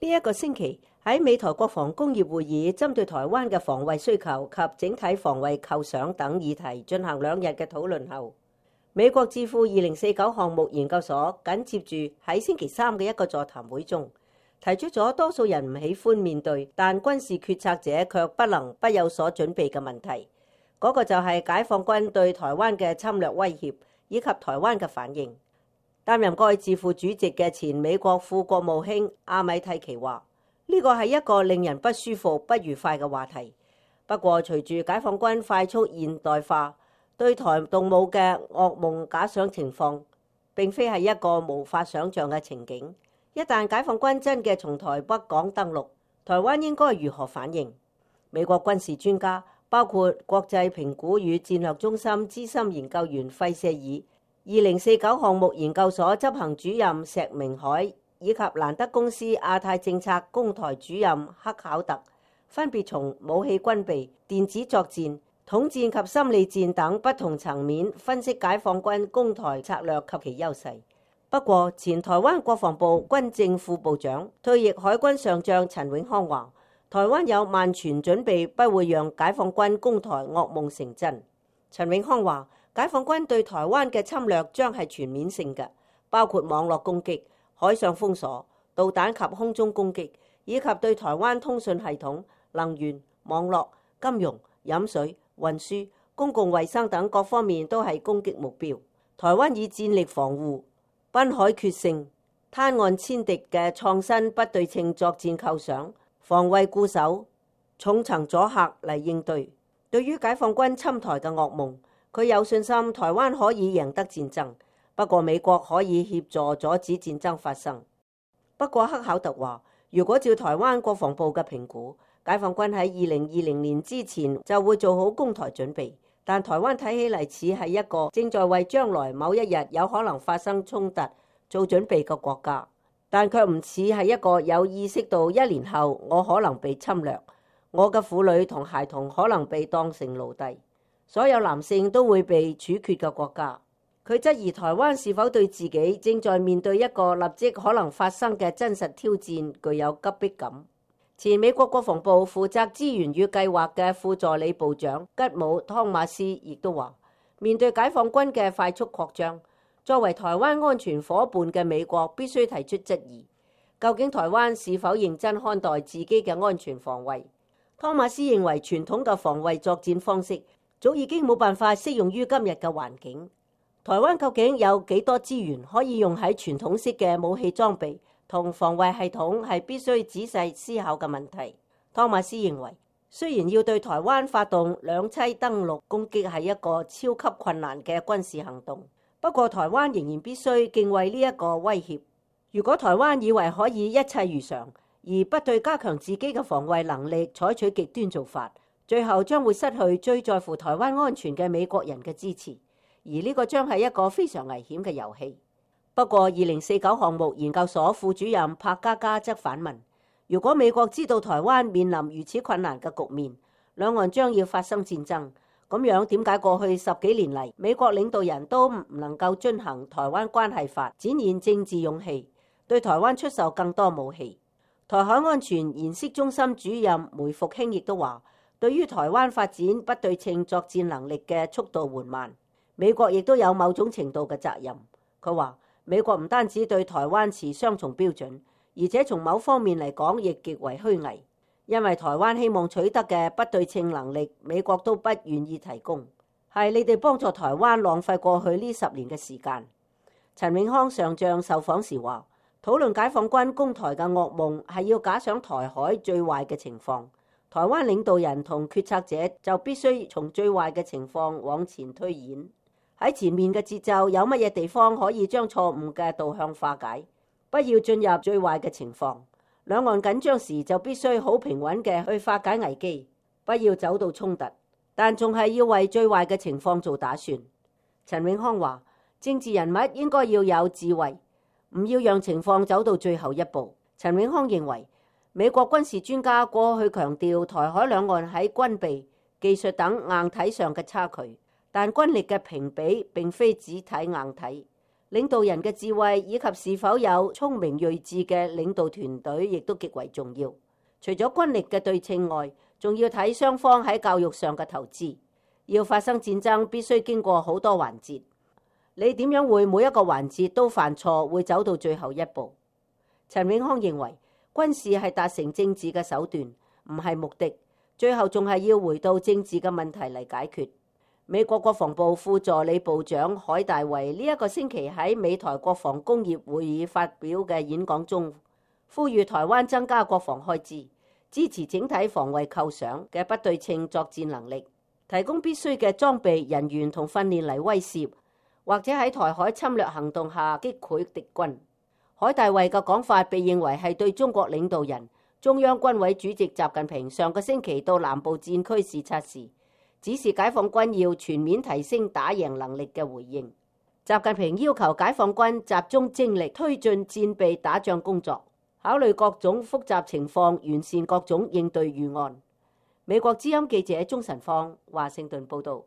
呢一個星期喺美台國防工業會議針對台灣嘅防衛需求及整體防衛構想等議題進行2日嘅討論後，美國智庫2049項目研究所緊接住喺星期三嘅一個座談會中，提出咗多數人唔喜歡面對，但軍事決策者卻不能不有所準備嘅問題。嗰個就係解放軍對台灣嘅侵略威脅以及台灣嘅反應。擔任該智庫主席嘅前美國副國務卿阿米蒂奇話：呢個係一個令人不舒服、不愉快嘅話題。不過，隨住解放軍快速現代化，對台動武嘅噩夢假想情況並非係一個無法想像嘅情景。一旦解放軍真嘅從台北港登陸，台灣應該如何反應？美國軍事專家包括國際評估與戰略中心資深研究員費舍爾、2049項目研究所執行主任石明海以及蘭德公司亞太政策攻台主任克考特，分別從武器軍備、電子作戰、統戰及心理戰等不同層面分析解放軍攻台策略及其優勢。不過，前台灣國防部軍政副部長、退役海軍上將陳永康話：台灣有萬全準備，不會讓解放軍攻台噩夢成真。陳永康話：解放軍對台灣嘅侵略將係全面性嘅，包括網絡攻擊、海上封鎖、導彈及空中攻擊，以及對台灣通訊系統、能源、網絡、金融、飲水、運輸、公共衛生等各方面都係攻擊目標。台灣以戰力防護、濱海決勝、灘岸殲敵嘅創新不對稱作戰構想、防衛固守、重層阻嚇嚟應對。對於解放軍侵台嘅噩夢，佢有信心台灣可以贏得戰爭，不過美國可以協助阻止戰爭發生。不過克考特話，如果照台灣國防部嘅評估，解放軍喺2020年之前就會做好攻台準備，但台灣睇起嚟似係一個正在為將來某一日有可能發生衝突做準備嘅國家，但卻唔似係一個有意識到1年後我可能被侵略，我嘅婦女同孩童可能被當成奴隸，所有男性都會被處決嘅國家。佢質疑台灣是否對自己正在面對一個立即可能發生嘅真實挑戰具有急迫感。前美國國防部負責資源與計劃嘅副助理部長吉姆·湯馬斯亦都話，面對解放軍嘅快速擴張，作為台灣安全夥伴嘅美國必須提出質疑，究竟台灣是否認真看待自己嘅安全防衛？湯馬斯認為傳統嘅防衛作戰方式早已經冇辦法適用於今日嘅環境。台灣究竟有幾多資源可以用喺傳統式嘅武器裝備同防衛系統，係必須仔細思考嘅問題。湯馬斯認為，雖然要對台灣發動兩棲登陸攻擊係一個超級困難嘅軍事行動，不過台灣仍然必須敬畏呢一個威脅。如果台灣以為可以一切如常，而不對加強自己嘅防衛能力採取極端做法，最後將會失去最在乎台灣安全嘅美國人嘅支持，而呢個將係一個非常危險嘅遊戲。不過2049項目研究所副主任柏嘉嘉則反問，如果美國知道台灣面臨如此困難嘅局面，兩岸將要發生戰爭，咁樣點解過去10幾年嚟美國領導人都唔能夠遵行台灣關係法，展現政治勇氣，對台灣出售更多武器？台海安全研析中心主任梅復興亦都話，對於台灣發展不對稱作戰能力嘅速度緩慢，美國亦都有某種程度嘅責任。佢話美國唔單止對台灣持雙重標準，而且從某方面嚟講亦極為虛偽，因為台灣希望取得嘅不對稱能力，美國都不願意提供，係你哋幫助台灣浪費過去呢10年嘅時間。陳永康上將受訪時話，討論解放軍攻台嘅噩夢係要假想台海最壞嘅情況，台灣領導人同決策者就必須從最壞嘅情況往前推演。喺前面嘅節奏有乜嘢地方可以將錯誤嘅導向化解？不要進入最壞嘅情況。兩岸緊張時就必須好平穩嘅去化解危機，不要走到衝突，但仲係要為最壞嘅情況做打算。陳永康話，政治人物應該要有智慧，唔要讓情況走到最後一步。陳永康認為，美國軍事專家過去強調台海兩岸喺軍備、技術等硬體上嘅差距，但軍力嘅評比並非只睇硬體，領導人嘅智慧以及是否有聰明睿智嘅領導團隊，亦都極為重要。除咗軍力嘅對稱外，仲要睇雙方喺教育上嘅投資。要發生戰爭，必須經過好多環節。你點樣會每一個環節都犯錯，會走到最後一步？陳永康認為，軍事係達成政治嘅手段，唔係目的。最後仲係要回到政治嘅問題嚟解決。美國國防部副助理部長海大衛呢一個星期喺美台國防工業會議發表嘅演講中，呼籲台灣增加國防開支，支持整體防衛構想嘅不對稱作戰能力，提供必須嘅裝備、人員同訓練嚟威懾，或者喺台海侵略行動下擊潰敵軍。海大衛嘅講法被認為係對中國領導人、中央軍委主席習近平上個星期到南部戰區視察時，指示解放軍要全面提升打贏能力嘅回應。習近平要求解放軍集中精力推進戰備打仗工作，考慮各種複雜情況，完善各種應對預案。美國之音記者鍾晨芳華盛頓報道。